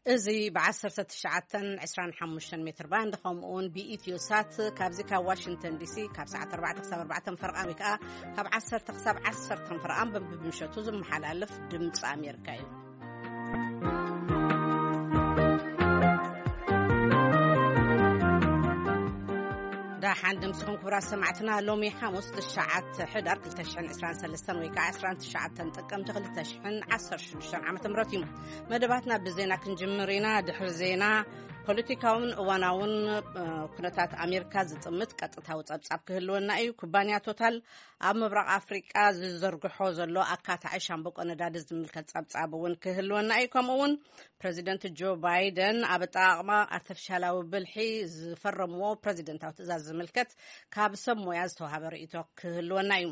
እዚ ብ1925 ሜትር ባንድ፣ ከምኡ እውን ብኢትዮ ሳት፣ ካብዚ ካብ ዋሽንግተን ዲሲ ካብ ሰዓት ኣርባዕተ ክሳብ ኣርባዕተ ፈረቓን፣ ወይ ከዓ ካብ ዓሰርተ ክሳብ ዓሰርተ ፈረቓን ብምሸቱ ዝመሓላለፍ ድምፂ ኣሜሪካ እዩ። ደሓን ድምፅኹም ክቡራት ሰማዕትና። ሎሚ ሓሙስ ትሽዓተ ሕዳር ክልተ ሽሕን ዕስራን ሰለስተን ወይ ከዓ ዕስራን ትሽዓተን ጥቅምቲ ክልተ ሽሕን ዓሰርተ ሽዱሽተን ዓመተ ምህረት እዩ። መደባትና ብዜና ክንጅምር ኢና። ድሕሪ ዜና፣ ፖለቲካውን እዋናውን፣ እ፣ ኩነታት ኣሜሪካ ዝጥምት ቀጥታዊ ጸብጻብ ክህልወና እዩ። ኩባንያ ቶታል ኣብ ምብራቕ ኣፍሪቃ ዝዘርግሖ ዘሎ ኣካታዒ ሻምብቆ ነዳዲ ዝምልከት ጸብጻብ እውን ክህልወና እዩ። ከምኡ እውን ፕረዚደንት ጆ ባይደን ኣብ ኣጠቓቕማ ኣርተፊሻላዊ ብልሒ ዝፈረምዎ ፕረዚደንታዊ ትእዛዝ ዝምልከት ካብ ሰብ ሞያ ዝተዋሃበ ርእይቶ ክህልወና እዩ።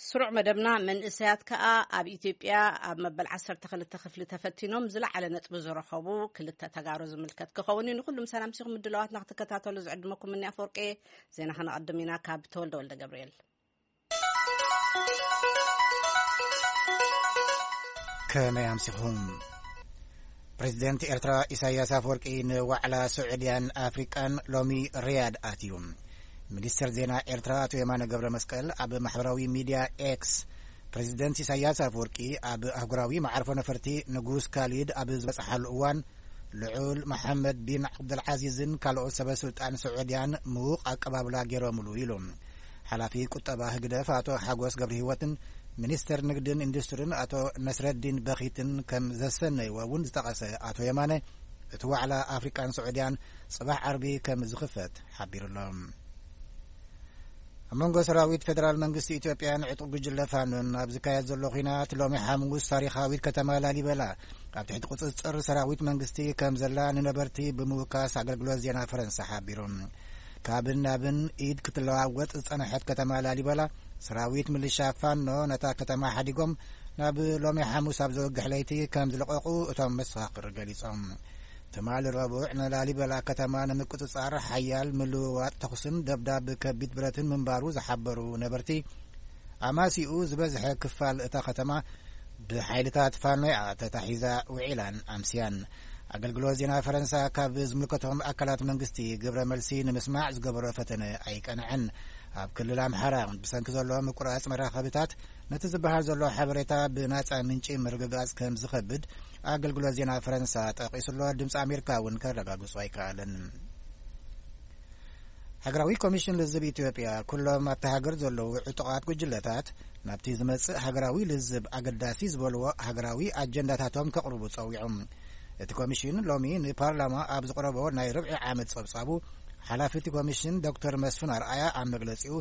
ስሩዕ መደብና፣ መንእሰያት ከኣ ኣብ ኢትዮጵያ ኣብ መበል ዓሰርተ ክልተ ክፍሊ ተፈቲኖም ዝለዓለ ነጥቢ ዝረኸቡ ክልተ ተጋሩ ዝምልከት ክኸውን እዩ። ንኹሉም ሰላም ሲኹም ምድላዋትና ክትከታተሉ ዝዕድመኩም እኒ ኣፈወርቂ። ዜና ከነቐድም ኢና ካብ ተወልደ ወልደ ገብርኤል። ከመይ ኣምሲኹም? ፕሬዚደንት ኤርትራ ኢሳያስ ኣፈወርቂ ንዋዕላ ስዑድያን ኣፍሪቃን ሎሚ ሪያድ ኣትዩ። ሚኒስትር ዜና ኤርትራ ኣቶ የማነ ገብረ መስቀል ኣብ ማሕበራዊ ሚድያ ኤክስ፣ ፕሬዚደንት ኢሳያስ ኣፈወርቂ ኣብ ኣህጉራዊ መዓርፎ ነፈርቲ ንጉስ ካሊድ ኣብ ዝበጽሓሉ እዋን፣ ልዑል መሓመድ ቢን ዓብዱልዓዚዝን ካልኦት ሰበ ስልጣን ስዑድያን ምዉቕ ኣቀባብላ ገይሮምሉ ኢሉ። ሓላፊ ቁጠባ ህግደፍ ኣቶ ሓጎስ ገብረ ህይወትን ሚኒስተር ንግድን ኢንዱስትሪን ኣቶ ነስረዲን በኺትን ከም ዘሰነይዎ እውን ዝጠቐሰ ኣቶ የማነ፣ እቲ ዋዕላ ኣፍሪቃን ስዑድያን ጽባሕ ዓርቢ ከም ዝኽፈት ሓቢሩሎ። ኣብ መንጎ ሰራዊት ፌደራል መንግስቲ ኢትዮጵያን ዕጡቕ ጉጅለ ፋኖን ኣብ ዝካየድ ዘሎ ኲናት፣ ሎሚ ሓሙስ ታሪኻዊት ከተማ ላሊበላ ኣብ ትሕቲ ቁጽጽር ሰራዊት መንግስቲ ከም ዘላ ንነበርቲ ብምውካስ ኣገልግሎት ዜና ፈረንሳ ሓቢሩ። ካብን ናብን ኢድ ክትለዋወጥ ዝጸንሐት ከተማ ላሊበላ፣ ሰራዊት ምልሻ ፋኖ ነታ ከተማ ሓዲጎም ናብ ሎሚ ሓሙስ ኣብ ዘወግሕ ለይቲ ከም ዝለቐቑ እቶም መሰኻኽር ገሊጾም። ትማሊ ረቡዕ ንላሊበላ ከተማ ንምቁጽጻር ሓያል ምልውዋጥ ተኹስን ደብዳብ ከቢድ ብረትን ምንባሩ ዝሓበሩ ነበርቲ፣ ኣማሲኡ ዝበዝሐ ክፋል እታ ከተማ ብሓይልታት ፋኖ እያ ተታሒዛ ውዒላን ኣምስያን። ኣገልግሎት ዜና ፈረንሳ ካብ ዝምልከቶም ኣካላት መንግስቲ ግብረ መልሲ ንምስማዕ ዝገበሮ ፈተነ ኣይቀንዐን። ኣብ ክልል ኣምሓራ ብሰንኪ ዘሎ ምቁራጽ መራኸብታት፣ ነቲ ዝበሃል ዘሎ ሓበሬታ ብናጻ ምንጪ ምርግጋጽ ከም ዝኸብድ ኣገልግሎት ዜና ፈረንሳ ጠቒሱሎ። ድምፂ ኣሜሪካ እውን ከረጋግጾ ኣይከኣለን። ሃገራዊ ኮሚሽን ልዝብ ኢትዮጵያ፣ ኩሎም ኣብቲ ሃገር ዘለዉ ዕጡቓት ጉጅለታት ናብቲ ዝመጽእ ሃገራዊ ልዝብ ኣገዳሲ ዝበልዎ ሃገራዊ ኣጀንዳታቶም ከቕርቡ ጸዊዖም። እቲ ኮሚሽን ሎሚ ንፓርላማ ኣብ ዝቕረቦ ናይ ርብዒ ዓመት ጸብጻቡ፣ ሓላፊ እቲ ኮሚሽን ዶክተር መስፍን ኣርኣያ ኣብ መግለጺኡ፣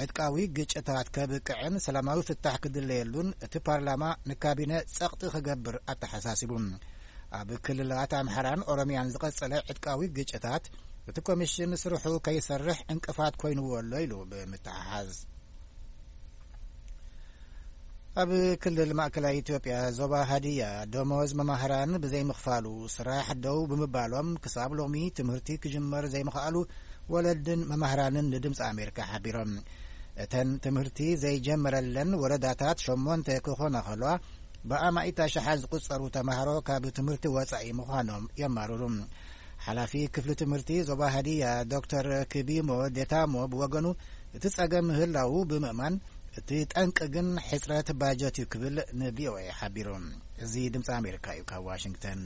ዕጥቃዊ ግጭታት ከብቅዕን ሰላማዊ ፍታሕ ክድለየሉን እቲ ፓርላማ ንካቢነ ጸቕጢ ክገብር ኣተሓሳሲቡ። ኣብ ክልላት ኣምሓራን ኦሮሚያን ዝቐጸለ ዕጥቃዊ ግጭታት፣ እቲ ኮሚሽን ስርሑ ከይሰርሕ ዕንቅፋት ኮይንዎ ኣሎ ኢሉ ብምትሓሓዝ። ኣብ ክልል ማእከላይ ኢትዮጵያ ዞባ ሃዲያ፣ ደሞዝ መማህራን ብዘይምኽፋሉ፣ ስራሕ ደው ብምባሎም፣ ክሳብ ሎሚ ትምህርቲ ክጅመር ዘይምኽኣሉ ወለድን መማህራንን ንድምፂ ኣሜሪካ ሓቢሮም። እተን ትምህርቲ ዘይጀመረለን ወረዳታት ሸሞንተ ክኾና ከለዋ፣ ብኣማኢት ኣሽሓት ዝቑጸሩ ተማሃሮ ካብ ትምህርቲ ወጻኢ ምዃኖም የማርሩ። ሓላፊ ክፍሊ ትምህርቲ ዞባ ሃዲያ ዶክተር ክቢሞ ዴታሞ ብወገኑ፣ እቲ ጸገም ምህላዉ ብምእማን፣ እቲ ጠንቂ ግን ሕጽረት ባጀት እዩ ክብል ንቪኦኤ ሓቢሩ። እዚ ድምፂ ኣሜሪካ እዩ ካብ ዋሽንግተን።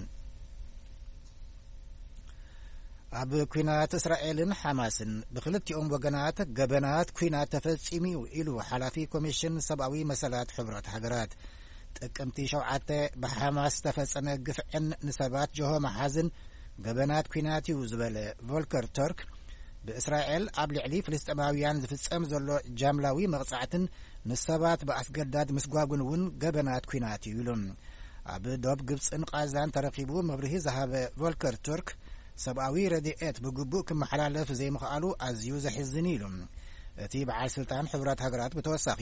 ኣብ ኲናት እስራኤልን ሓማስን ብክልቲኦም ወገናት ገበናት ኲናት ተፈጺሙ እዩ ኢሉ ሓላፊ ኮሚሽን ሰብኣዊ መሰላት ሕቡራት ሃገራት። ጥቅምቲ ሸውዓተ ብሓማስ ዝተፈጸመ ግፍዕን ንሰባት ጀሆ መሓዝን ገበናት ኲናት እዩ ዝበለ ቮልከር ቱርክ፣ ብእስራኤል ኣብ ልዕሊ ፍልስጤማውያን ዝፍጸም ዘሎ ጃምላዊ መቕጻዕትን ንሰባት ብኣስገዳድ ምስጓጉን እውን ገበናት ኲናት እዩ ኢሉ። ኣብ ዶብ ግብጽን ቃዛን ተረኺቡ መብርሂ ዝሃበ ቮልከር ቱርክ፣ ሰብኣዊ ረድኤት ብግቡእ ክመሓላለፍ ዘይምኽኣሉ ኣዝዩ ዘሕዝን እዩ ኢሉ። እቲ በዓል ስልጣን ሕቡራት ሃገራት ብተወሳኺ፣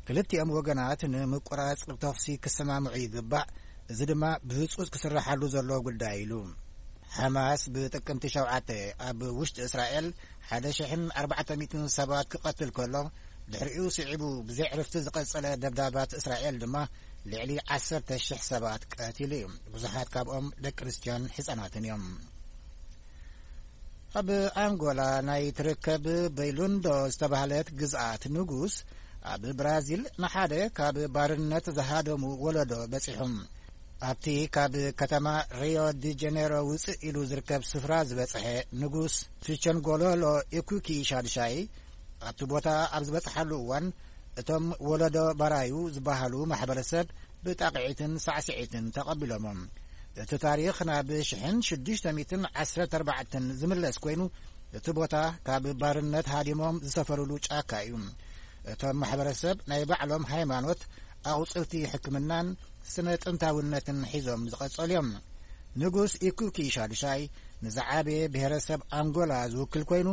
ክልቲኦም ወገናት ንምቁራጽ ተኹሲ ክሰማምዑ ይግባእ፣ እዚ ድማ ብህጹጽ ክስረሓሉ ዘለዎ ጉዳይ ኢሉ። ሓማስ ብጥቅምቲ ሸውዓተ ኣብ ውሽጢ እስራኤል ሓደ ሽሕን ኣርባዕተ ሚእትን ሰባት ክቐትል ከሎ፣ ድሕሪኡ ስዒቡ ብዘይ ዕርፍቲ ዝቐጸለ ደብዳባት እስራኤል ድማ ልዕሊ ዓሰርተ ሽሕ ሰባት ቀቲሉ እዩ። ብዙሓት ካብኦም ደቂ ኣንስትዮን ህጻናትን እዮም። ኣብ ኣንጎላ ናይ ትርከብ በይሉንዶ ዝተባህለት ግዝኣት ንጉስ ኣብ ብራዚል ንሓደ ካብ ባርነት ዝሃደሙ ወለዶ በጺሑ። ኣብቲ ካብ ከተማ ሪዮ ዲ ጀኔሮ ውጽእ ኢሉ ዝርከብ ስፍራ ዝበጽሐ ንጉስ ፊቸንጎሎሎ ኢኩኪ ሻድሻይ ኣብቲ ቦታ ኣብ ዝበጽሓሉ እዋን እቶም ወለዶ ባራዩ ዝበሃሉ ማሕበረሰብ ብጣቕዒትን ሳዕስዒትን ተቐቢሎሞም። እቲ ታሪኽ ናብ ሽሕን ሽዱሽተ ሚእትን ዓሰርተ ኣርባዕተን ዝምለስ ኮይኑ እቲ ቦታ ካብ ባርነት ሃዲሞም ዝሰፈሩሉ ጫካ እዩ። እቶም ማሕበረሰብ ናይ ባዕሎም ሃይማኖት፣ ኣቑጽልቲ ሕክምናን ስነ ጥንታውነትን ሒዞም ዝቐጸሉ እዮም። ንጉስ ኢኩኪ ሻዱሻይ ንዝዓበየ ብሄረሰብ ኣንጎላ ዝውክል ኮይኑ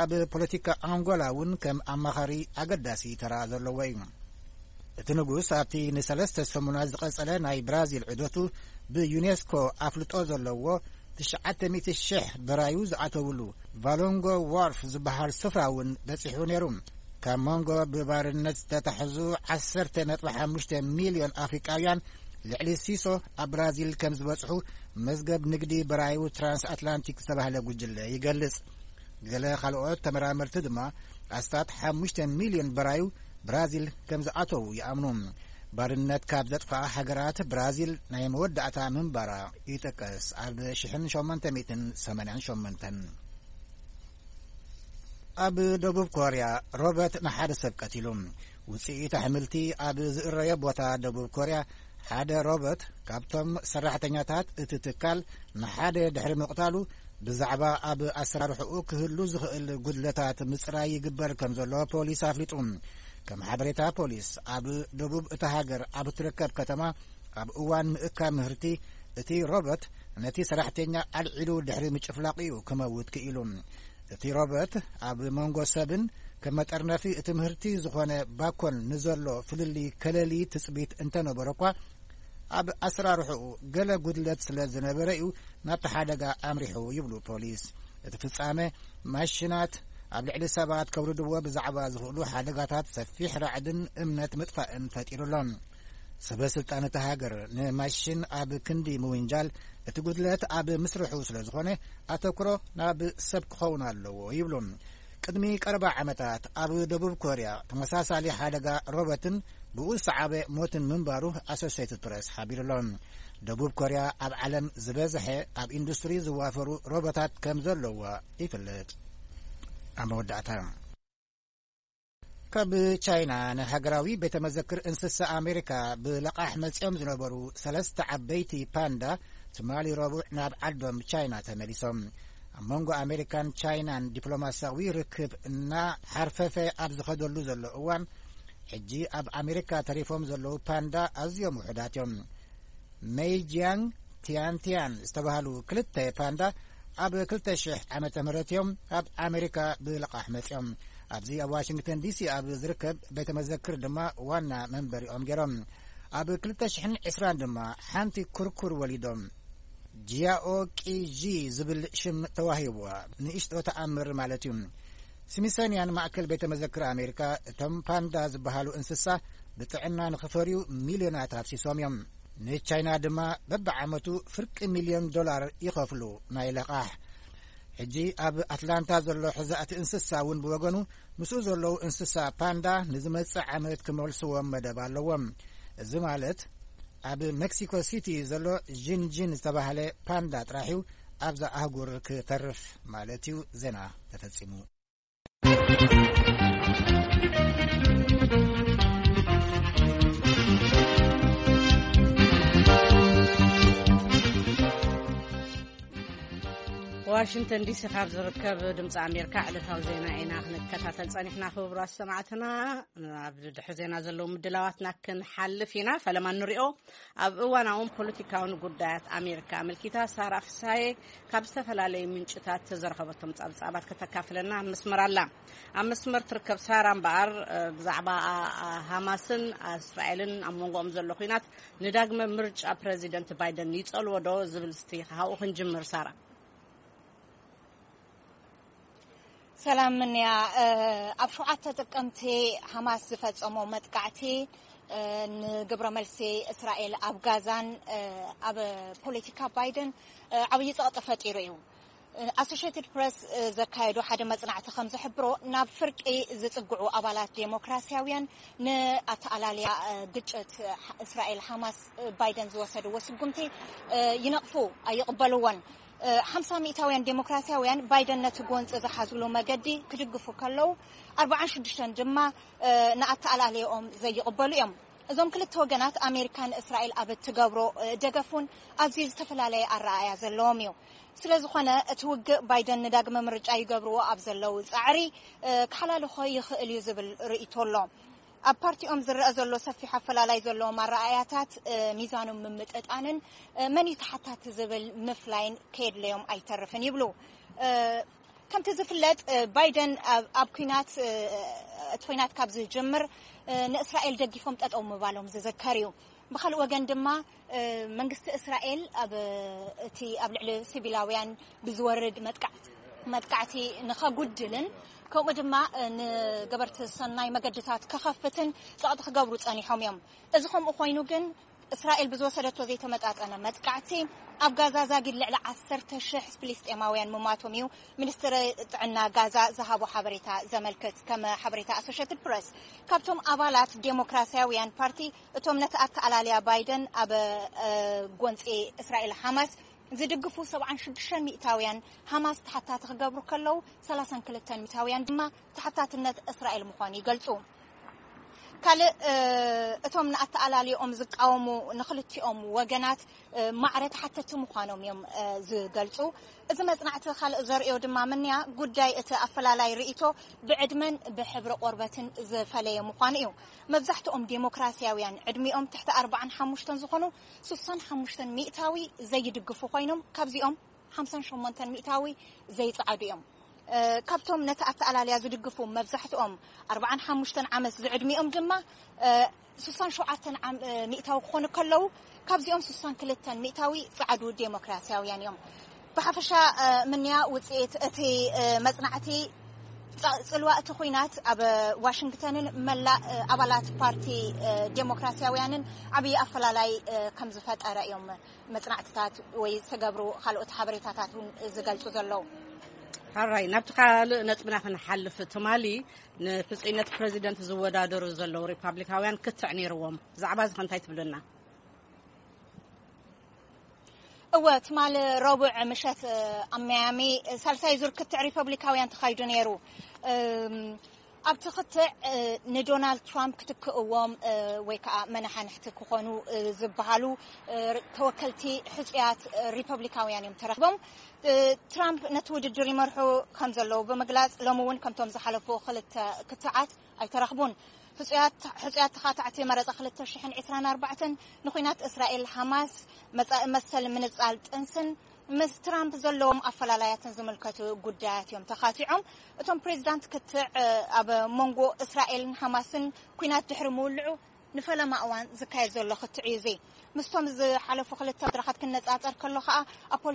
ኣብ ፖለቲካ ኣንጎላ እውን ከም ኣማኻሪ ኣገዳሲ ተራ ዘለዎ እዩ። እቲ ንጉስ ኣብቲ ንሰለስተ ሰሙናት ዝቐጸለ ናይ ብራዚል ዑደቱ ብዩኔስኮ ኣፍልጦ ዘለዎ ትሽዓተ ሚእቲ ሽሕ በራዩ ዝኣተውሉ ቫሎንጎ ዋርፍ ዝበሃል ስፍራ እውን በጺሑ ነይሩ። ካብ መንጎ ብባርነት ዝተታሕዙ ዓሰርተ ነጥቢ ሓሙሽተ ሚልዮን ኣፍሪቃውያን ልዕሊ ሲሶ ኣብ ብራዚል ከም ዝበጽሑ መዝገብ ንግዲ በራዩ ትራንስ ኣትላንቲክ ዝተባህለ ጉጅለ ይገልጽ። ገለ ካልኦት ተመራመርቲ ድማ ኣስታት ሓሙሽተ ሚልዮን በራዩ ብራዚል ከም ዝኣተዉ ይኣምኑ። ባርነት ካብ ዘጥፍኣ ሃገራት ብራዚል ናይ መወዳእታ ምንባራ ይጥቀስ። ኣብ ሽሕን ሸሞንተ ሚእትን ሰማንያን ሸሞንተን። ኣብ ደቡብ ኮርያ ሮበት ንሓደ ሰብ ቀቲሉ። ውጽኢት ኣሕምልቲ ኣብ ዝእረዮ ቦታ ደቡብ ኮርያ ሓደ ሮበት ካብቶም ሰራሕተኛታት እቲ ትካል ንሓደ ድሕሪ ምቕታሉ ብዛዕባ ኣብ ኣሰራርሕኡ ክህሉ ዝኽእል ጉድለታት ምጽራይ ይግበር ከም ዘሎ ፖሊስ ኣፍሊጡ። ከም ሓበሬታ ፖሊስ ኣብ ደቡብ እታ ሃገር ኣብ እትርከብ ከተማ ኣብ እዋን ምእካብ ምህርቲ እቲ ሮበት ነቲ ሰራሕተኛ ኣልዒሉ ድሕሪ ምጭፍላቕ እዩ ክመውት ክኢሉ። እቲ ሮበት ኣብ መንጎ ሰብን ከም መጠርነፊ እቲ ምህርቲ ዝኾነ ባኮን ንዘሎ ፍልልይ ከለሊ ትጽቢት እንተነበረ እኳ ኣብ ኣሰራርሕኡ ገለ ጉድለት ስለ ዝነበረ እዩ ናብቲ ሓደጋ ኣምሪሑ ይብሉ ፖሊስ። እቲ ፍጻመ ማሽናት ኣብ ልዕሊ ሰባት ከውርድዎ ብዛዕባ ዝኽእሉ ሓደጋታት ሰፊሕ ራዕድን እምነት ምጥፋእን ፈጢሩ ኣሎ። ሰበ ስልጣን እታ ሃገር ንማሽን ኣብ ክንዲ ምውንጃል እቲ ጉድለት ኣብ ምስርሑ ስለ ዝኾነ ኣተኩሮ ናብ ሰብ ክኸውን ኣለዎ ይብሉ። ቅድሚ ቀረባ ዓመታት ኣብ ደቡብ ኮርያ ተመሳሳሊ ሓደጋ ሮበትን ብኡ ዝሰዓበ ሞትን ምንባሩ ኣሶሴትድ ፕረስ ሓቢሩ ኣሎ። ደቡብ ኮርያ ኣብ ዓለም ዝበዝሐ ኣብ ኢንዱስትሪ ዝዋፈሩ ሮቦታት ከም ዘለዋ ይፍለጥ። ኣብ መወዳእታ ካብ ቻይና ንሃገራዊ ቤተ መዘክር እንስሳ ኣሜሪካ ብለቓሕ መጺኦም ዝነበሩ ሰለስተ ዓበይቲ ፓንዳ ትማሊ ረቡዕ ናብ ዓዶም ቻይና ተመሊሶም። ኣብ መንጎ ኣሜሪካን ቻይናን ዲፕሎማሲያዊ ርክብ እናሓርፈፈ ኣብ ዝኸደሉ ዘሎ እዋን ሕጂ ኣብ ኣሜሪካ ተሪፎም ዘለዉ ፓንዳ ኣዝዮም ውሑዳት እዮም። ሜይጂያንግ ቲያንቲያን ዝተባህሉ ክልተ ፓንዳ ኣብ ክልተ ሽሕ ዓመተ ምህረት እዮም ኣብ ኣሜሪካ ብልቓሕ መጺኦም። ኣብዚ ኣብ ዋሽንግተን ዲሲ ኣብ ዝርከብ ቤተ መዘክር ድማ ዋና መንበሪኦም ገይሮም። ኣብ ክልተ ሽሕን ዕስራን ድማ ሓንቲ ኩርኩር ወሊዶም። ጂያኦ ቂ ዢ ዝብል ሽም ተዋሂብዋ፣ ንእሽቶ ተኣምር ማለት እዩ። ስሚሰንያን ማእከል ቤተ መዘክር ኣሜሪካ እቶም ፓንዳ ዝበሃሉ እንስሳ ብጥዕና ንኽፈርዩ ሚልዮናት ኣፍሲሶም እዮም። ንቻይና ድማ በብዓመቱ ፍርቂ ሚልዮን ዶላር ይኸፍሉ ናይ ለቓሕ። ሕጂ ኣብ ኣትላንታ ዘሎ ሕዛእቲ እንስሳ እውን ብወገኑ ምስኡ ዘለዉ እንስሳ ፓንዳ ንዝመጽእ ዓመት ክመልስዎም መደብ ኣለዎም። እዚ ማለት ኣብ ሜክሲኮ ሲቲ ዘሎ ዥንዥን ዝተባህለ ፓንዳ ጥራሕ እዩ ኣብዛ ኣህጉር ክተርፍ ማለት እዩ። ዜና ተፈጺሙ። ዋሽንግተን ዲሲ ካብ ዝርከብ ድምፂ ኣሜሪካ ዕለታዊ ዜና ኢና ክንከታተል ፀኒሕና። ክቡራት ሰማዕትና፣ ኣብ ድሕሪ ዜና ዘለዉ ምድላዋትና ክንሓልፍ ኢና። ፈለማ ንሪኦ። ኣብ እዋናውን ፖለቲካውን ጉዳያት ኣሜሪካ ኣመልኪታ ሳራ ፍሳዬ ካብ ዝተፈላለዩ ምንጭታት ዘረኸበቶም ጸብጻባት ከተካፍለና ኣብ መስመር ኣላ። ኣብ መስመር ትርከብ ሳራ እምበኣር፣ እ፣ ብዛዕባ፣ ኣ፣ ኣ፣ ሃማስን እስራኤልን ኣብ መንጎኦም ዘሎ ኲናት ንዳግመ ምርጫ ፕረዚደንት ባይደን ይጸልዎ ዶ ዝብል እስቲ ካብኡ ክንጅምር ሳራ። ሰላም ምንያ። ኣብ ሸውዓተ ጥቅምቲ ሓማስ ዝፈጸሞ መጥቃዕቲ ንግብረ መልሲ እስራኤል ኣብ ጋዛን ኣብ ፖለቲካ ባይደን ዓብዪ ጸቕጢ ፈጢሩ እዩ። ኣሶሽትድ ፕረስ ዘካየዶ ሓደ መጽናዕቲ ከም ዝሕብሮ፣ ናብ ፍርቂ ዝጽግዑ ኣባላት ዴሞክራሲያውያን ንኣተኣላልያ ግጭት እስራኤል ሓማስ ባይደን ዝወሰድዎ ስጉምቲ ይነቕፉ፣ ኣይቕበልዎን። ሓምሳ ሚእታውያን ዴሞክራሲያውያን ባይደን ነቲ ጎንፂ ዝሓዝሉ መገዲ ክድግፉ ከለዉ፣ ኣርባዓን ሽዱሽተን ድማ ንኣተኣላልያኦም ዘይቕበሉ እዮም። እዞም ክልተ ወገናት፣ ኣሜሪካን እስራኤል ኣብ እትገብሮ ደገፍ እውን ኣዝዩ ዝተፈላለየ ኣረኣእያ ዘለዎም እዩ። ስለ ዝኾነ፣ እቲ ውግእ ባይደን ንዳግመ ምርጫ ይገብርዎ ኣብ ዘለዉ ጻዕሪ ክሓላልኾ ይኽእል እዩ ዝብል ርእይቶ ኣሎ። ኣብ ፓርቲኦም ዝረአ ዘሎ ሰፊሕ ኣፈላላይ ዘለዎም ኣረኣእያታት፣ ሚዛኖም ምምጥጣንን መን እዩ ተሓታቲ ዝብል ምፍላይን ከየድለዮም ኣይተርፍን ይብሉ። ከምቲ ዝፍለጥ፣ ባይደን ኣብ ኲናት እቲ ኲናት ካብ ዝጅምር ንእስራኤል ደጊፎም ጠጠው ምባሎም ዝዝከር እዩ። ብኻልእ ወገን ድማ መንግስቲ እስራኤል ኣብ እቲ ኣብ ልዕሊ ሲቪላውያን ብዝወርድ መጥቃዕቲ ንኸጉድልን ከምኡ ድማ ንገበርቲ ሰናይ መገድታት ክኸፍትን ጸቕጢ ክገብሩ ጸኒሖም እዮም። እዚ ከምኡ ኮይኑ ግን እስራኤል ብዝወሰደቶ ዘይተመጣጠነ መጥቃዕቲ ኣብ ጋዛ ዛጊድ ልዕሊ ዓሰርተ ሽሕ ፍልስጤማውያን ምማቶም እዩ ሚኒስትሪ ጥዕና ጋዛ ዝሃቦ ሓበሬታ ዘመልክት። ከም ሓበሬታ ኣሶሽትድ ፕረስ፣ ካብቶም ኣባላት ዴሞክራሲያውያን ፓርቲ እቶም ነቲ ኣተኣላልያ ባይደን ኣብ ጎንፂ እስራኤል ሓማስ ዝድግፉ ሰብዓን ሽዱሽተን ሚእታውያን ሓማስ ተሓታቲ ክገብሩ ከለዉ፣ ሰላሳን ክልተን ሚእታውያን ድማ ተሓታትነት እስራኤል ምዃኑ ይገልፁ። ካልእ እቶም ንኣተኣላልዮኦም ዝቃወሙ ንክልቲኦም ወገናት ማዕረ ተሓተቲ ምዃኖም እዮም ዝገልፁ። እዚ መፅናዕቲ ካልእ ዘርእዮ ድማ ምንያ ጉዳይ እቲ ኣፈላላይ ርእይቶ ብዕድመን ብሕብሪ ቆርበትን ዝፈለየ ምዃኑ እዩ። መብዛሕትኦም ዴሞክራሲያውያን ዕድሚኦም ትሕቲ ኣርባዓን ሓሙሽተን ዝኾኑ ሱሳን ሓሙሽተን ሚእታዊ ዘይድግፉ ኮይኖም ካብዚኦም ሓምሳን ሸሞንተን ሚእታዊ ዘይጸዓዱ እዮም። ካብቶም ነቲ ኣተኣላልያ ዝድግፉ መብዛሕትኦም ኣርባዓን ሓሙሽተን ዓመት ዝዕድሚኦም ድማ ሱሳን ሸውዓተን ሚእታዊ ክኾኑ ከለዉ ካብዚኦም ሱሳን ክልተን ሚእታዊ ጸዓዱ ዴሞክራሲያውያን እዮም። ብሓፈሻ ምንያ ውፅኢት እቲ መፅናዕቲ ጽልዋ እቲ ኹናት ኣብ ዋሽንግተንን መላእ ኣባላት ፓርቲ ዴሞክራሲያውያንን ዓብዪ ኣፈላላይ ከም ዝፈጠረ እዮም መጽናዕትታት ወይ ዝተገብሩ ካልኦት ሓበሬታታት እውን ዝገልጹ ዘለዉ። ሓራይ ናብቲ ካልእ ነጥብና ክንሓልፍ፣ ትማሊ ንሕጹይነት ፕሬዚደንት ዝወዳደሩ ዘለዉ ሪፓብሊካውያን ክትዕ ነይርዎም። ብዛዕባ እዚ እንታይ ትብልና? እወ፣ ትማሊ ረቡዕ ምሸት ኣብ ሚያሚ ሳልሳይ ዙር ክትዕ ሪፐብሊካውያን ተኻይዱ ነይሩ። ኣብቲ ክትዕ ንዶናልድ ትራምፕ ክትክእዎም ወይ ከዓ መናሓንሕቲ ክኾኑ ዝበሃሉ ተወከልቲ ሕፁያት ሪፐብሊካውያን እዮም ተረኪቦም። ትራምፕ ነቲ ውድድር ይመርሑ ከም ዘለዉ ብምግላፅ፣ ሎሚ እውን ከምቶም ዝሓለፉ ክልተ ክትዓት ኣይተረኽቡን። ሕፁያት ተኻታዕቲ መረፃ ክልተ ሽሕን ዕስራን ኣርባዕተን ንኹናት እስራኤል ሓማስ፣ መፃኢ መሰል ምንፃል ጥንስን ምስ ትራምፕ ዘለዎም ኣፈላላያትን ዝምልከቱ ጉዳያት እዮም ተኻቲዖም። እቶም ፕሬዚዳንት ክትዕ ኣብ መንጎ እስራኤልን ሓማስን ኲናት ድሕሪ ምውልዑ ንፈለማ እዋን ዝካየድ ዘሎ ክትዕ እዩ። እዚ ምስቶም ዝሓለፉ ክልተ መድረኻት ክነፃፀር ከሎ ከዓ ኣብ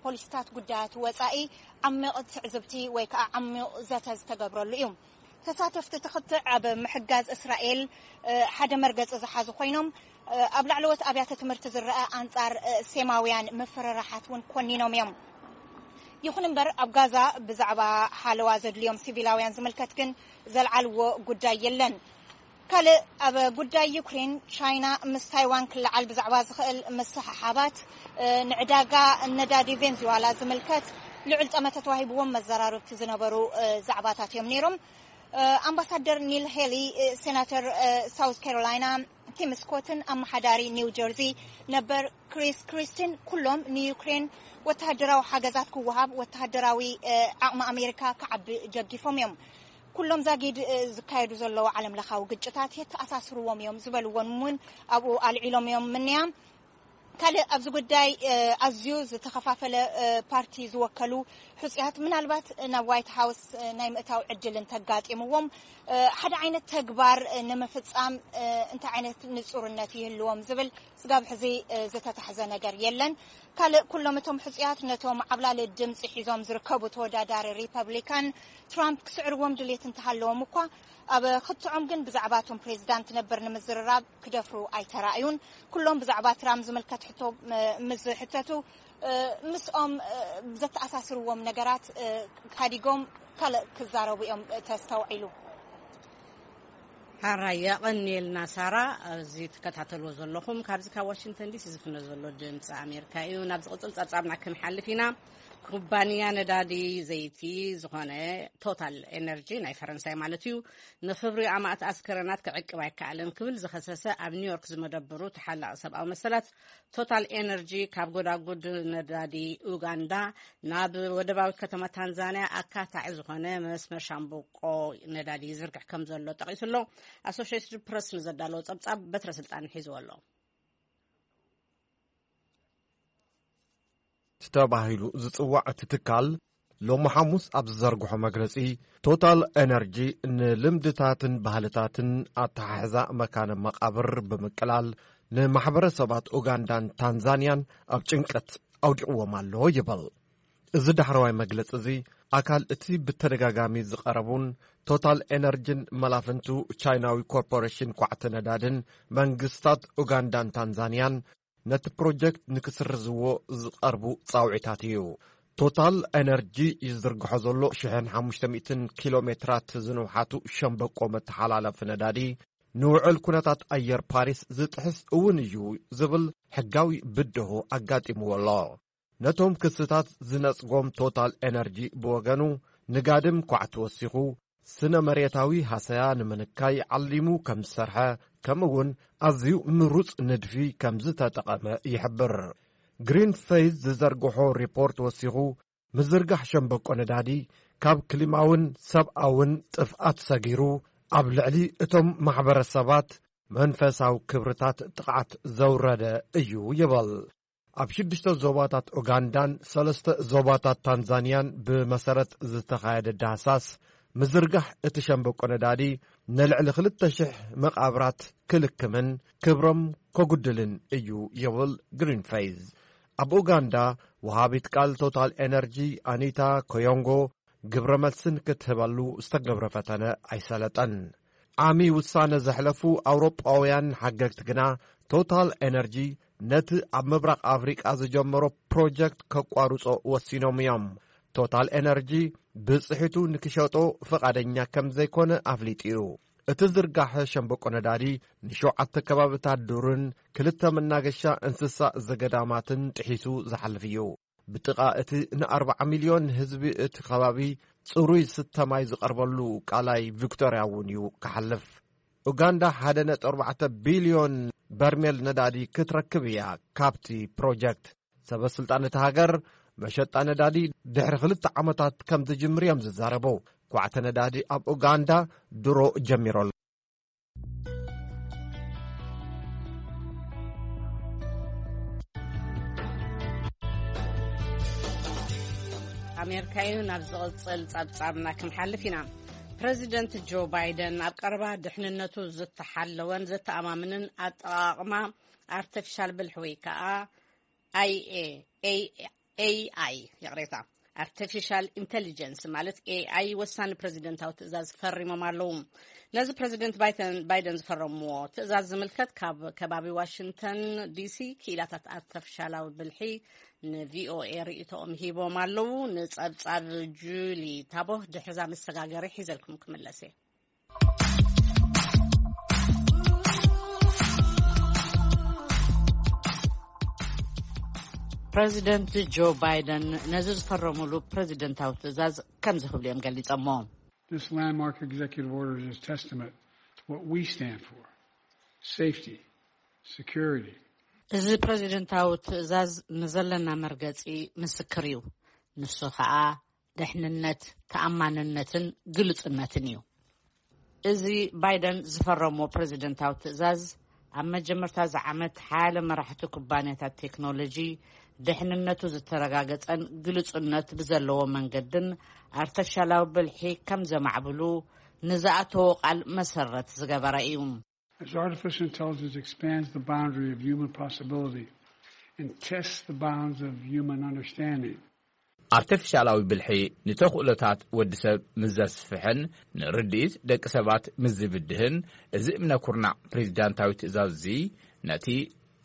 ፖሊሲታት ጉዳያት ወፃኢ ዓሚቕ ትዕዝብቲ ወይ ከዓ ዓሚቕ ዘተ ዝተገብረሉ እዩ። ተሳተፍቲ እቲ ክትዕ ኣብ ምሕጋዝ እስራኤል ሓደ መርገፂ ዝሓዙ ኮይኖም፣ ኣብ ላዕለዎት ኣብያተ ትምህርቲ ዝረኣ ኣንጻር ሴማውያን ምፍርራሓት እውን ኮኒኖም እዮም። ይኹን እምበር ኣብ ጋዛ ብዛዕባ ሓለዋ ዘድልዮም ሲቪላውያን ዝምልከት ግን ዘልዓልዎ ጉዳይ የለን። ካልእ ኣብ ጉዳይ ዩክሬን፣ ቻይና ምስ ታይዋን ክለዓል ብዛዕባ ዝኽእል ምስሕሓባት ንዕዳጋ ነዳዲ ቬንዙዋላ ዝምልከት ልዑል ጠመተ ተዋሂብዎም መዘራርብቲ ዝነበሩ ዛዕባታት እዮም ነይሮም። ኣምባሳደር ኒል ሄሊ፣ ሴናተር ሳውዝ ካሮላይና ቲም ስኮትን ኣመሓዳሪ ኒው ጀርዚ ነበር ክሪስ ክሪስቲን ኩሎም ንዩክሬን ወተሃደራዊ ሓገዛት ክወሃብ ወተሃደራዊ ዓቕሚ ኣሜሪካ ክዓቢ ደጊፎም እዮም። ኩሎም ዛጊድ ዝካየዱ ዘለዉ ዓለም ለኻዊ ግጭታት የተኣሳስርዎም እዮም ዝበልዎም እውን ኣብኡ ኣልዒሎም እዮም ምንያ። ካልእ ኣብዚ ጉዳይ ኣዝዩ ዝተኸፋፈለ ፓርቲ ዝወከሉ ሕፁያት ምናልባት ናብ ዋይት ሃውስ ናይ ምእታው ዕድል እንተጋጢምዎም ሓደ ዓይነት ተግባር ንምፍፃም እንታይ ዓይነት ንፁርነት ይህልዎም ዝብል ስጋብ ሕዚ ዝተታሕዘ ነገር የለን። ካልእ፣ ኩሎም እቶም ሕጹያት ነቶም ዓብላሊ ድምጺ ሒዞም ዝርከቡ ተወዳዳሪ ሪፐብሊካን ትራምፕ ክስዕርዎም ድሌት እንተሃለዎም እኳ፣ ኣብ ክትዖም ግን ብዛዕባ እቶም ፕሬዚዳንት ነበር ንምዝርራብ ክደፍሩ ኣይተራእዩን። ኩሎም ብዛዕባ ትራምፕ ዝምልከት ሕቶ፣ እ፣ ምስ ዝሕተቱ፣ እ፣ ምስኦም፣ እ፣ ዘተኣሳስርዎም ነገራት፣ እ፣ ሓዲጎም ካልእ ክዛረቡ እዮም ተስተውዒሉ። ሓራይ የቐንየልና ሳራ። እዚ ትከታተልዎ ዘለኹም ካብዚ ካብ ዋሽንግተን ዲሲ ዝፍነ ዘሎ ድምፂ ኣሜሪካ እዩ። ናብ ዝቕፅል ፀብፃብና ክንሓልፍ ኢና። ኩባንያ ነዳዲ ዘይቲ ዝኾነ ቶታል ኤነርጂ፣ ናይ ፈረንሳይ ማለት እዩ፣ ንኽብሪ ኣማእት ኣስከረናት ክዕቅብ ኣይከኣለን ክብል ዝኸሰሰ ኣብ ኒውዮርክ ዝመደብሩ ተሓላቒ ሰብኣዊ መሰላት፣ ቶታል ኤነርጂ ካብ ጎዳጉድ ነዳዲ ኡጋንዳ ናብ ወደባዊ ከተማ ታንዛንያ ኣካታዒ ዝኾነ መስመር ሻምብቆ ነዳዲ ይዝርግሕ ከም ዘሎ ጠቒሱ ኣሎ። ኣሶሽየትድ ፕረስ ንዘዳለዎ ጸብጻብ በትረ ስልጣን ሒዝዎ ኣሎ። ተባሂሉ ዝጽዋዕ እቲ ትካል ሎሚ ሓሙስ ኣብ ዝዘርግሖ መግለጺ፣ ቶታል ኤነርጂ ንልምድታትን ባህልታትን ኣተሓሕዛ መካነ መቓብር ብምቅላል ንማሕበረሰባት ኡጋንዳን ታንዛንያን ኣብ ጭንቀት ኣውዲቕዎም ኣሎ ይብል። እዚ ዳሕረዋይ መግለጺ እዚ ኣካል እቲ ብተደጋጋሚ ዝቐረቡን ቶታል ኤነርጂን መላፍንቱ ቻይናዊ ኮርፖሬሽን ኳዕቲ ነዳድን መንግስታት ኡጋንዳን ታንዛንያን ነቲ ፕሮጀክት ንክስርዝዎ ዝቐርቡ ጻውዒታት እዩ። ቶታል ኤነርጂ ይዝርግሖ ዘሎ ሽሕን ሓሙሽተ ሚእትን ኪሎ ሜትራት ዝንውሓቱ ሸምበቆ መተሓላለፊ ነዳዲ ንውዕል ኩነታት ኣየር ፓሪስ ዝጥሕስ እውን እዩ ዝብል ሕጋዊ ብድሆ ኣጋጢምዎ ኣሎ። ነቶም ክስታት ዝነጽጎም ቶታል ኤነርጂ ብወገኑ ንጋድም ኳዕቲ ወሲኹ ስነ መሬታዊ ሃሰያ ንምንካይ ዓሊሙ ከም ዝሰርሐ፣ ከምኡ እውን ኣዝዩ ምሩጽ ንድፊ ከም ዝተጠቐመ ይሕብር። ግሪን ፌዝ ዝዘርግሖ ሪፖርት ወሲኹ፣ ምዝርጋሕ ሸምበቆ ነዳዲ ካብ ክሊማውን ሰብኣውን ጥፍኣት ሰጊሩ፣ ኣብ ልዕሊ እቶም ማሕበረሰባት መንፈሳዊ ክብርታት ጥቕዓት ዘውረደ እዩ ይብል። ኣብ ሽዱሽተ ዞባታት ኡጋንዳን ሰለስተ ዞባታት ታንዛንያን ብመሰረት ዝተኻየደ ዳህሳስ፣ ምዝርጋሕ እቲ ሸምበቆ ነዳዲ ንልዕሊ ክልተ ሽሕ መቓብራት ክልክምን ክብሮም ከጉድልን እዩ ይብል ግሪን ፌዝ። ኣብ ኡጋንዳ፣ ወሃቢት ቃል ቶታል ኤነርጂ ኣኒታ ኮዮንጎ ግብረ መልስን ክትህበሉ ዝተገብረ ፈተነ ኣይሰለጠን። ዓሚ ውሳነ ዘሕለፉ ኣውሮጳውያን ሓገግቲ ግና፣ ቶታል ኤነርጂ ነቲ ኣብ ምብራቕ ኣፍሪቃ ዝጀመሮ ፕሮጀክት ከቋርጾ ወሲኖም እዮም። ቶታል ኤነርጂ ብጽሒቱ ንክሸጦ ፍቓደኛ ከም ዘይኮነ ኣፍሊጡ እዩ። እቲ ዝርጋሐ ሸምበቆ ነዳዲ ንሸውዓተ ከባብታት ዱርን ክልተ መናገሻ እንስሳ ዘገዳማትን ጥሒሱ ዝሓልፍ እዩ። ብጥቓ እቲ ንኣርባዓ ሚልዮን ህዝቢ እቲ ከባቢ ጽሩይ ስተ ማይ ዝቐርበሉ ቃላይ ቪክቶርያ እውን እዩ ክሓልፍ። ኡጋንዳ ሓደ ነጥቢ ኣርባዕተ ቢልዮን በርሜል ነዳዲ ክትረክብ እያ ካብቲ ፕሮጀክት። ሰበ ስልጣን እቲ ሃገር መሸጣ ነዳዲ ድሕሪ ክልተ ዓመታት ከም ዝጅምር እዮም ዝዛረቡ። ኳዕተ ነዳዲ ኣብ ኡጋንዳ ድሮ ጀሚሩ ኣሎ። ኣሜሪካ እዩ። ናብ ዝቕጽል ጸብጻብና ክንሓልፍ ኢና። ፕረዚደንት ጆ ባይደን ኣብ ቀረባ ድሕንነቱ ዝተሓለወን ዘተኣማምንን ኣጠቓቕማ ኣርተፊሻል ብልሒ ወይ ከኣ ኣይኤ ኤይ ኤይ ኣይ፣ ይቕሬታ፣ ኣርቲፊሻል ኢንተሊጀንስ ማለት ኤኣይ ወሳኒ ፕረዚደንታዊ ትእዛዝ ፈሪሞም ኣለዉ። ነዚ ፕረዚደንት ባይተን-፣ ባይደን ዝፈረምዎ ትእዛዝ ዝምልከት ካብ ከባቢ ዋሽንግተን ዲሲ ክኢላታት ኣርቲፊሻላዊ ብልሒ ንቪኦኤ ርእይቶኦም ሂቦም ኣለዉ። ንጸብጻብ ጁሊ ታቦ ድሕርዛ መሰጋገሪ ሒዘልኩም ክምለስ እየ። ፕረዚደንት ጆ ባይደን ነዚ ዝፈረሙሉ ፕረዚደንታዊ ትእዛዝ ከምዚ ክብሉ እዮም ገሊጸሞ። This landmark executive order is a testament to what we stand for: safety, security. እዚ ፕረዚደንታዊ ትእዛዝ ንዘለና መርገጺ ምስክር እዩ። ንሱ ኸኣ ድሕንነት፣ ተኣማንነትን ግሉጽነትን እዩ። እዚ ባይደን ዝፈረሞ ፕረዚደንታዊ ትእዛዝ፣ ኣብ መጀመርታ እዚ ዓመት ሓያለ መራሕቲ ኩባንያታት ቴክኖሎጂ ድሕንነቱ ዝተረጋገጸን ግሉጽነት ብዘለዎ መንገድን ኣርተፊሻላዊ ብልሒ ከም ዘማዕብሉ ንዝኣተዎ ቃል መሰረት ዝገበረ እዩ። As artificial intelligence expands the boundary of human possibility, and test the bounds of human understanding. ኣርቲፊሻላዊ ብልሒ ንተኽእሎታት ወዲ ሰብ ምስ ዘስፍሕን ንርድኢት ደቂ ሰባት ምስ ዝብድህን፣ እዚ እምነ ኩርናዕ ፕሬዚዳንታዊ ትእዛዝ እዚ ነቲ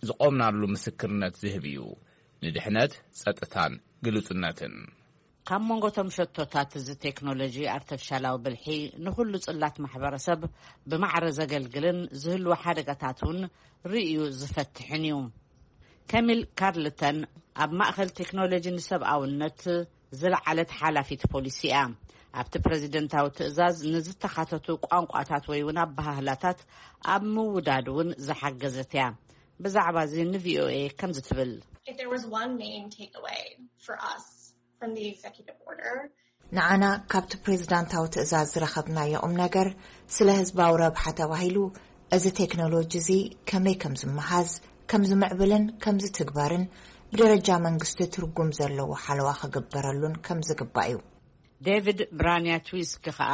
ዝቖምናሉ ምስክርነት ዝህብ እዩ፣ ንድሕነት፣ ጸጥታን ግሉጽነትን። ካብ መንጎቶም ሸቶታት እዚ ቴክኖሎጂ ኣርቲፊሻላዊ ብልሒ ንኹሉ ጽላት ማሕበረሰብ ብማዕረ ዘገልግልን ዝህልዎ ሓደጋታት እውን ርእዩ ዝፈትሕን እዩ። ከሚል ካርልተን ኣብ ማእኸል ቴክኖሎጂ ንሰብኣውነት ዝለዓለት ሓላፊት ፖሊሲ እያ። ኣብቲ ፕሬዚደንታዊ ትእዛዝ ንዝተኻተቱ ቋንቋታት ወይ እውን ኣበሃህላታት ኣብ ምውዳድ እውን ዝሓገዘት እያ። ብዛዕባ እዚ ንቪኦኤ ከምዚ ትብል። If there was one main takeaway for us from the executive order, ንዓና ካብቲ ፕሬዝዳንታዊ ትእዛዝ ዝረኸብናዮ ቁም ነገር፣ ስለ ህዝባዊ ረብሓ ተባሂሉ እዚ ቴክኖሎጂ እዚ ከመይ ከም ዝመሃዝ፣ ከም ዝምዕብልን ከም ዝትግበርን ብደረጃ መንግስቲ ትርጉም ዘለዎ ሓለዋ ክግበረሉን ከም ዝግባእ እዩ። ዴቪድ ብራንያትዊስኪ ከኣ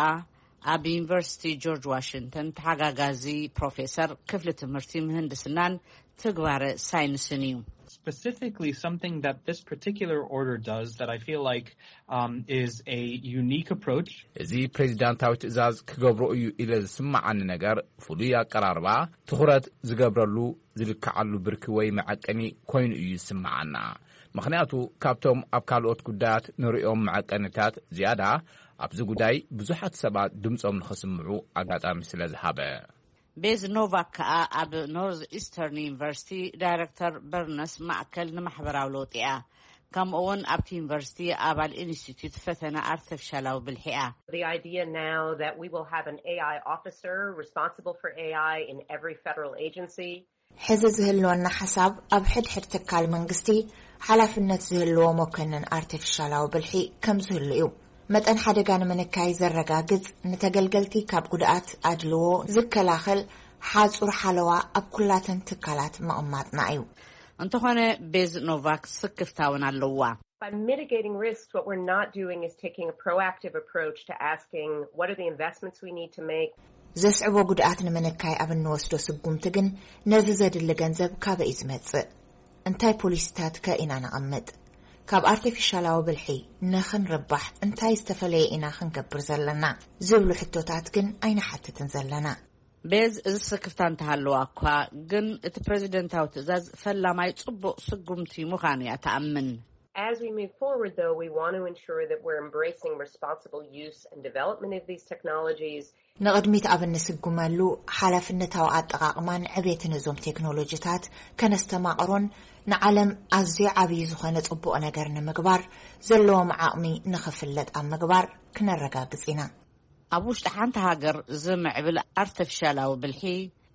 ኣብ ዩኒቨርሲቲ ጆርጅ ዋሽንግተን ተሓጋጋዚ ፕሮፌሰር ክፍሊ ትምህርቲ ምህንድስናን ትግባረ ሳይንስን እዩ። Specifically, something that this particular order does that I feel like um, is a unique approach. እዚ ፕሬዚዳንታዊ ትእዛዝ ክገብሮ እዩ ኢለ ዝስምዓኒ ነገር፣ ፍሉይ ኣቀራርባ፣ ትኹረት ዝገብረሉ፣ ዝልክዓሉ ብርኪ ወይ መዐቀኒ ኮይኑ እዩ ዝስምዓና። ምኽንያቱ ካብቶም ኣብ ካልኦት ጉዳያት ንርእዮም መዐቀንታት ዝያዳ፣ ኣብዚ ጉዳይ ብዙሓት ሰባት ድምጾም ንኸስምዑ ኣጋጣሚ ስለ ዝሃበ። ቤዝ ኖቫክ ከኣ ኣብ ኖርዝ ኢስተርን ዩኒቨርሲቲ ዳይረክተር በርነስ ማእከል ንማሕበራዊ ለውጢ እያ። ከምኡ እውን ኣብቲ ዩኒቨርሲቲ ኣባል ኢንስቲትዩት ፈተነ ኣርቲፊሻላዊ ብልሒ እያ። The idea now that we will have an A I officer responsible for A I in every federal agency. ሕዚ ዝህልወና ሓሳብ፣ ኣብ ሕድሕድ ትካል መንግስቲ ሓላፍነት ዝህልዎ መኮንን ኣርቲፊሻላዊ ብልሒ ከም ዝህሉ እዩ። መጠን ሓደጋ ንምንካይ ዘረጋግጽ፣ ንተገልገልቲ ካብ ጉድኣት ኣድልዎ ዝከላኸል ሓጹር ሓለዋ ኣብ ኩላተን ትካላት ምቕማጥና እዩ። እንተኾነ፣ ቤዝ ኖቫክ ስክፍታ እውን ኣለዋ። By mitigating risks, what we're not doing is taking a proactive approach to asking what are the investments we need to make. ዘስዕቦ ጉድኣት ንምንካይ ኣብ እንወስዶ ስጉምቲ ግን፣ ነዚ ዘድሊ ገንዘብ ካበይ እዩ ዝመጽእ? እንታይ ፖሊሲታት ከ ኢና ነቐምጥ? ካብ ኣርቲፊሻላዊ ብልሒ ንኽንርባሕ እንታይ ዝተፈለየ ኢና ክንገብር ዘለና? ዝብሉ ሕቶታት ግን ኣይንሓትትን ዘለና። ቤዝ እዚ ስክፍታ እንተሃለዋ እኳ፣ ግን እቲ ፕሬዚደንታዊ ትእዛዝ ፈላማይ ጽቡቕ ስጉምቲ ምዃኑ እያ ትኣምን። As we move forward, though, we want to ensure that we're embracing responsible use and development of these technologies. ንቕድሚት ኣብ እንስጉመሉ፣ ሓላፍነታዊ ኣጠቓቕማን ዕቤትን እዞም ቴክኖሎጂታት ከነስተማቕሮን ንዓለም ኣዝዩ ዓብዪ ዝኾነ ጽቡቕ ነገር ንምግባር ዘለዎም ዓቕሚ ንኽፍለጥ ኣብ ምግባር ክነረጋግጽ ኢና። ኣብ ውሽጢ ሓንቲ ሃገር ዝምዕብል ኣርቲፊሻላዊ ብልሒ፣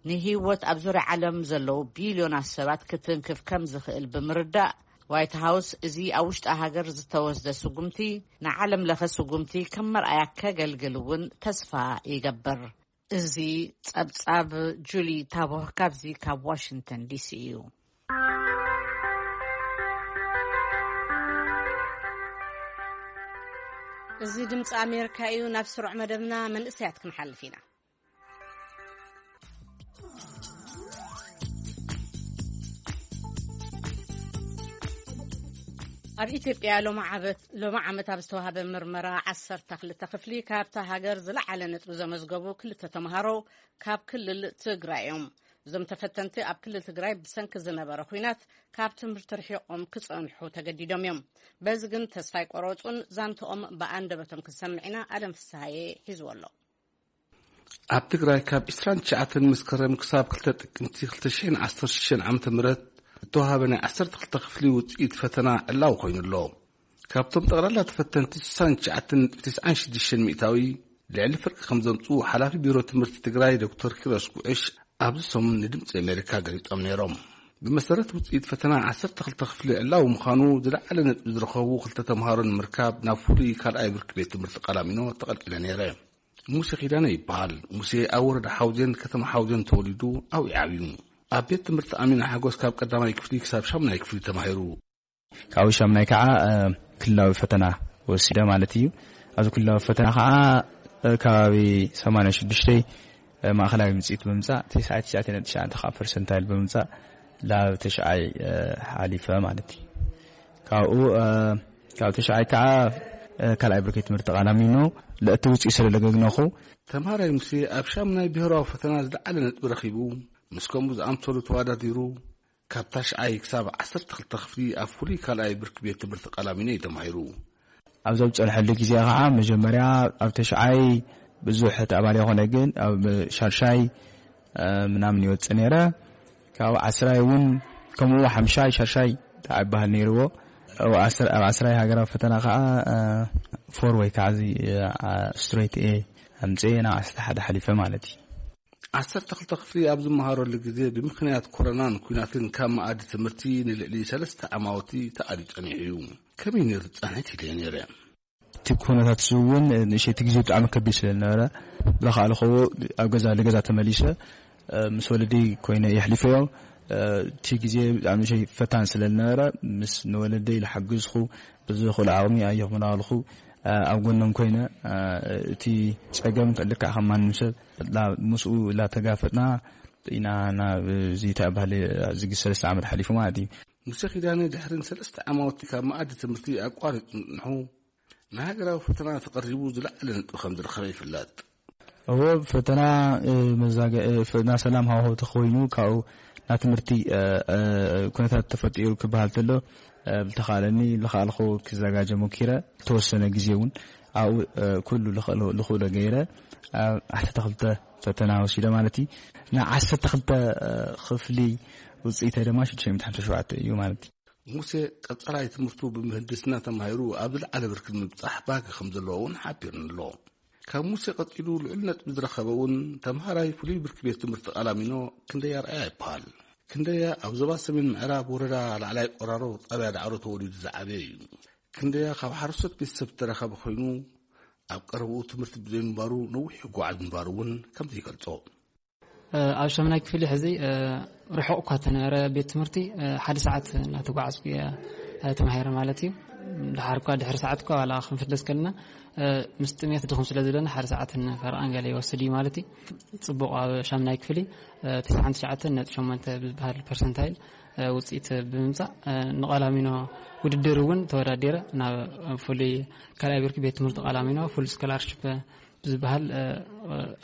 ንህይወት ኣብ ዙርያ ዓለም ዘለዉ ቢልዮናት ሰባት ክትንክፍ ከም ዝኽእል ብምርዳእ፣ ዋይት ሃውስ እዚ ኣብ ውሽጢ ሃገር ዝተወስደ ስጉምቲ፣ ንዓለም ለኸ ስጉምቲ ከም መርኣያ ከገልግል እውን ተስፋ ይገብር። እዚ ጸብጻብ ጁሊ ታቦህ ካብዚ ካብ ዋሽንግተን ዲሲ እዩ። እዚ ድምፂ ኣሜሪካ እዩ። ናብ ስሩዕ መደብና መንእሰያት ክንሓልፍ ኢና። ኣብ ኢትዮጵያ ሎሚ ዓመት ኣብ ዝተዋህበ ምርመራ ዓሰርተ ክልተ ክፍሊ ካብታ ሃገር ዝለዓለ ነጥቢ ዘመዝገቡ ክልተ ተምሃሮ ካብ ክልል ትግራይ እዮም። እዞም ተፈተንቲ ኣብ ክልል ትግራይ ብሰንኪ ዝነበረ ኲናት ካብ ትምህርቲ ርሒቖም ክጸንሑ ተገዲዶም እዮም። በዚ ግን ተስፋ ኣይቆረጹን። ዛንትኦም ብኣንደበቶም ክንሰምዕ ኢና። ኣለም ፍስሃየ ሒዝዎ ኣሎ። ኣብ ትግራይ ካብ ዕስራን ትሽዓተን መስከረም ክሳብ ክልተ ጥቅምቲ ክልተ ሽሕን ዓሰርተ ሽዱሽተን ዓመተ ምህረት ዝተዋሃበ ናይ ዓሰርተ ክልተ ክፍሊ ውፅኢት ፈተና ዕላዊ ኮይኑ ኣሎ። ካብቶም ጠቕላላ ተፈተንቲ ስሳን ትሽዓተን ነጥቢ ተስዓን ሽዱሽተን ሚእታዊ ልዕሊ ፍርቂ ከም ዘምፅኡ ሓላፊ ቢሮ ትምህርቲ ትግራይ ዶክተር ኪሮስ ጉዕሽ ኣብዚ ሰሙን ንድምፂ ኣሜሪካ ገሊፆም ነይሮም። ብመሰረት ውፅኢት ፈተና ዓሰርተ ክልተ ክፍሊ ዕላዊ ምዃኑ ዝለዓለ ነጥቢ ዝረኸቡ ክልተ ተምሃሮ ንምርካብ ናብ ፍሉይ ካልኣይ ብርኪ ቤት ትምህርቲ ቃላሚኖ ተቐልቂለ ነይረ። ሙሴ ኪዳነ ይበሃል። ሙሴ ኣብ ወረዳ ሓውዜን ከተማ ሓውዜን ተወሊዱ ኣብኡ ዓብዩ። ኣብ ቤት ትምህርቲ ኣሚና ሓጎስ ካብ ቀዳማይ ክፍሊ ክሳብ ሻምናይ ክፍሊ ተማሂሩ። ካብኡ ሻምናይ ከዓ ክልላዊ ፈተና ወሲደ ማለት እዩ። ኣብዚ ክልላዊ ፈተና ከዓ ከባቢ ሰማንያ ሽዱሽተ ማእኸላይ ውፅኢት ብምምፃእ፣ ተስዓን ትሽዓተን ነጥቢ ትሽዓተ ከዓ ፐርሰንታይል ብምምፃእ ላብ ተሽዓይ ሓሊፈ ማለት እዩ። ካብኡ ካብ ተሽዓይ ከዓ ካልኣይ ብርኪ ትምህርቲ ቃላሚኖ ለእቲ ውፅኢ ስለ ለገግነኹ። ተምሃራይ ሙሴ ኣብ ሻምናይ ብሄራዊ ፈተና ዝለዓለ ነጥቢ ረኺቡ፣ ምስ ከምኡ ዝኣምሰሉ ተወዳዲሩ፣ ካብ ታሽዓይ ክሳብ ዓሰርተ ክልተ ክፍሊ ኣብ ፍሉይ ካልኣይ ብርኪ ቤት ትምህርቲ ቃላሚኖ እዩ ተማሂሩ። ኣብ ዘብፀልሐሉ ግዜ ከዓ መጀመርያ ኣብ ተሽዓይ ብዙሕ ተኣባሊ ይኾነ፣ ግን ኣብ ሻርሻይ ምናምን ይወፅእ ነይረ። ካብ ዓስራይ እውን ከምኡ ሓምሻይ ሻርሻይ ተዓባሃል ነይርዎ። ኣብ ዓስራይ ሃገራዊ ፈተና ከዓ ፎር ወይ ከዓ እዚ ስትሬት ኤ ኣምፅኤ ናብ ዓሰርተ ሓደ ሓሊፈ ማለት እዩ። ዓሰርተ ክልተ ክፍሊ ኣብ ዝመሃረሉ ግዜ ብምኽንያት ኮረናን ኩናትን ካብ መኣዲ ትምህርቲ ንልዕሊ ሰለስተ ዓማውቲ ተኣልዩ ጸኒሑ እዩ። ከመይ ነይሩ ጻንሒት ኢለ ነይረ። እቲ ኩነታት እዚ እውን ንእሸቲ ግዜ ብጣዕሚ ከቢድ ስለ ዝነበረ ብለካ ኣለኸዎ ኣብ ገዛ ንገዛ ተመሊሰ ምስ ወለዲ ኮይነ የሕሊፈዮ። እቲ ግዜ ብጣዕሚ ፈታን ስለ ዝነበረ ምስ ንወለደይ ዝሓግዝኩ ብዝኽእሉ ዓቕሚ ኣየኽምናልኹ ኣብ ጎኖም ኮይነ እቲ ጸገም ልክዕ ከም ማንም ሰብ ምስኡ ላተጋፈጥና ኢና ናብ እዚ ተባህለ ዝግ ሰለስተ ዓመት ሓሊፉ ማለት እዩ። ሙሴ ኪዳነ ድሕርን ሰለስተ ዓማውቲ ካብ መኣዲ ትምህርቲ ኣቋሪጹ ምጽንሑ ንሃገራዊ ፈተና ተቐሪቡ ዝለዓለ ነጥቢ ከም ዝረኸበ ይፍለጥ። እዎ ፈተና መዛገ ፈተና ሰላም ሃዋሁ ተኾይኑ ካብኡ ና ትምህርቲ ኩነታት ተፈጢሩ ክበሃል ተሎ ብልተኻለኒ ልኻልኹ ክዘጋጀ ሞኪረ ተወሰነ ግዜ እውን ኣብኡ ኩሉ ልኽእሎ ገይረ ዓሰርተ ክልተ ፈተና ወሲደ ማለት እዩ። ን ዓሰርተ ክልተ ክፍሊ ውፅኢተ ድማ ሽዱሽተ ሚእቲ ሓምሳ ሸውዓተ እዩ ማለት እዩ። ሙሴ ቀጸላይ ትምህርቱ ብምህንድስና ተማሂሩ ኣብ ዝለዓለ ብርኪ ንምብጻሕ ባጊ ከም ዘለዎ እውን ሓቢርኒ ኣሎ። ካብ ሙሴ ቀጺሉ ልዑል ነጥቢ ዝረኸበ እውን ተምሃራይ ፍሉይ ብርኪ ቤት ትምህርቲ ቃላሚኖ ክንደያ ኣርኣያ ይበሃል። ክንደያ ኣብ ዞባ ሰሜን ምዕራብ ወረዳ ላዕላይ ቆራሮ ጣብያ ዳዕሮ ተወሊዱ ዝዓበየ እዩ። ክንደያ ካብ ሓረስቶት ቤተሰብ ዝተረኸበ ኮይኑ ኣብ ቀረብኡ ትምህርቲ ብዘይምንባሩ ነዊሕ ይጓዓዝ ምንባሩ እውን ከምዚ ይገልጾ። ኣብ ሻምናይ ክፍሊ ሕዚ ርሑቕ እኳ ተነበረ ቤት ትምህርቲ ሓደ ሰዓት እናተጓዓዝኩ እየ ተማሂረ ማለት እዩ። ድሓር እኳ ድሕሪ ሰዓት እኳ ዋላ ክንፍደስ ከለና ምስ ጥሜት ድኹም ስለ ዘለና ሓደ ሰዓትን ፈረቓን ገለ ይወስድ እዩ ማለት እዩ። ጽቡቕ ኣብ ሻምናይ ክፍሊ ተስዓን ትሽዓተን ነጥቢ ሸሞንተ ብዝበሃል ፐርሰንታይል ውፅኢት ብምምፃእ ንቐላሚኖ ውድድር እውን ተወዳዲረ ናብ ፍሉይ ካልኣይ ብርኪ ቤት ትምህርቲ ቀላሚኖ ፉል ስኮላርሽፕ ብዝበሃል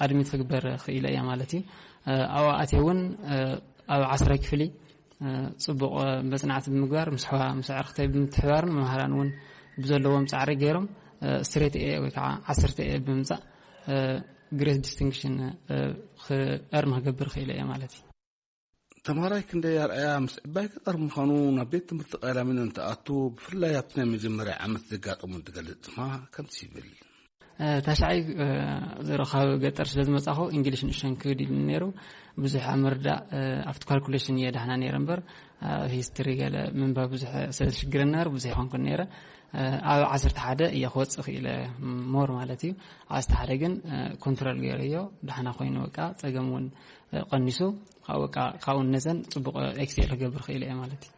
ኣድሚት ክግበር ክኢለ እያ ማለት እዩ። ኣብኡ ኣትየ እውን ኣብ ዓስራይ ክፍሊ ፅቡቕ መፅናዕቲ ብምግባር ምስ ኣዕርክተይ ብምትሕባርን መምሃራን እውን ብዘለዎም ፃዕሪ ገይሮም ስትሬት ኤ ወይ ከዓ ዓሰርተ ኤ ብምምፃእ ግሬት ዲስቲንክሽን ክእርም ክገብር ክኢለ እየ ማለት እዩ። ተምሃራይ ክንደይ ኣርኣያ ምስ ዕባይ ገጠር ምዃኑ ናብ ቤት ትምህርቲ ቀላሚኖ እንትኣቱ ብፍላይ ኣብቲ ናይ መጀመርያ ዓመት ዘጋጠሙ እንትገልጽ ድማ ከምዚ ይብል። ታሽዓይ ዝረኻብ ገጠር ስለ ዝመጻኹ እንግሊሽ ንእሽተን ክብድ ኢሉ ነይሩ። ብዙሕ ኣብ ምርዳእ ኣብቲ ካልኩሌሽን እየ ዳሕና ነይረ እምበር ኣብ ሂስትሪ ገለ ምንባብ ብዙሕ ስለ ዝሽግረኒ ነይሩ ብዙሕ ይኾንኩን ነይረ። ኣብ ዓሰርተ ሓደ እየ ክወፅእ ክኢለ ሞር ማለት እዩ። ዓሰርተ ሓደ ግን ኮንትሮል ገይረዮ ዳሕና ኮይኑ በቃ ጸገም እውን ቀኒሱ ካብኡ ነዘን ጽቡቕ ኤክስኤል ክገብር ክእል እየ ማለት እዩ።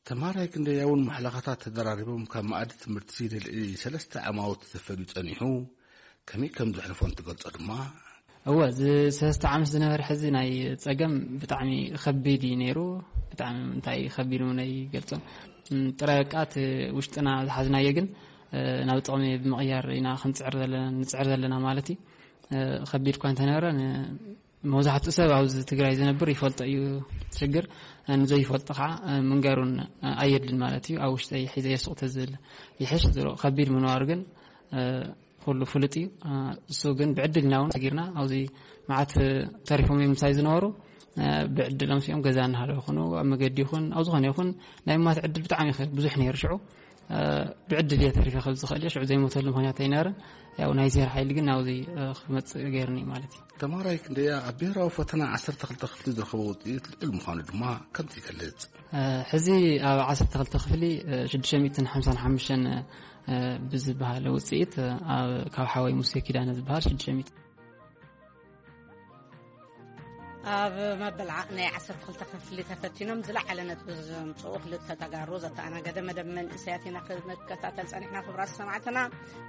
ተምሃራይ ክንደያ እውን ማሕለኻታት ተደራሪቦም ካብ መኣዲ ትምህርቲ ንልዕሊ ሰለስተ ዓማውቲ ተፈልዩ ጸኒሑ ከመይ ከም ዘሕልፎ እንትገልጾ ድማ እወ እዚ ሰለስተ ዓመት ዝነበረ ሕዚ ናይ ጸገም ብጣዕሚ ከቢድ እዩ ነይሩ። ብጣዕሚ እንታይ ከቢድ እውን ኣይገልጾን። ጥራይ በቃ እቲ ውሽጥና ዝሓዝናዮ ግን ናብ ጥቕሚ ብምቕያር ኢና ክንጽዕር ዘለና ንጽዕር ዘለና ማለት እዩ። ከቢድ እኳ እንተነበረ መብዛሕትኡ ሰብ ኣብዚ ትግራይ ዝነብር ይፈልጦ እዩ። ሽግር ንዘይፈልጦ ከዓ ምንጋሩን ኣየድልን ማለት እዩ። ኣብ ውሽጠይ ሒዘ የሱቕ ተዝብል ይሕሽ። ዝሮ ከቢድ ምንባሩ ግን ኩሉ ፍሉጥ እዩ። እሱ ግን ብዕድልና እውን ተጊርና ኣብዚ መዓት ተሪፎም እዮም ምሳይ ዝነበሩ ብዕድሎም ሲኦም ገዛ እናሃለዉ ይኹኑ ኣብ መገዲ ይኹን ኣብ ዝኾነ ይኹን ናይ ማት ዕድል ብጣዕሚ ይኽእል ብዙሕ ነይሩ ሽዑ ብዕድል እየ ተሪፈ ከብ ዝኽእል እየ ሽዑ ዘይሞተሉ ምኽንያት ኣይነበረን። ያው ናይ ዜር ሓይሊ ግን ናብዚ ክመፅእ ገይርኒ ማለት እዩ። ተምሃራይ ክንደያ ኣብ ብሔራዊ ፈተና ዓሰርተ ክልተ ክፍሊ ዝረኸቦ ውፅኢት ልዑል ምዃኑ ድማ ከምዚ ይገልጽ። ሕዚ ኣብ ዓሰርተ ክልተ ክፍሊ ሽዱሽተ ሚእትን ሓምሳን ሓሙሽተን ብዝበሃል ውፅኢት ካብ ሓወይ ሙሴ ኪዳነ ዝበሃል ሽዱሽተ ሚእቲ ኣብ መበል ዓ- ናይ ዓሰርተ ክልተ ክፍሊ ተፈቲኖም ዝለዓለ ነጥቢ ዘምፅኡ ክልተ ተጋሩ ዘተኣናገደ መደብ መንእሰያት ኢና ክንከታተል ጸኒሕና። ክቡራት ሰማዕትና፣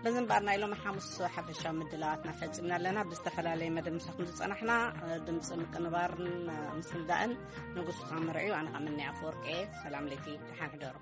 በዚ እምበኣር ናይ ሎሚ ሓሙስ ሓፈሻዊ ምድላዋትና ፈጺምና ኣለና። ብዝተፈላለየ መደብ ምሳኹም ዝጸናሕና፣ ድምፂ ምቅንባርን ምስልዳእን ንጉሱ ታምር እዩ። ኣነ ኸኣ ምኒ ኣፈወርቂ እየ። ሰላም ለይቲ፣ ደሓን ሕደሩ።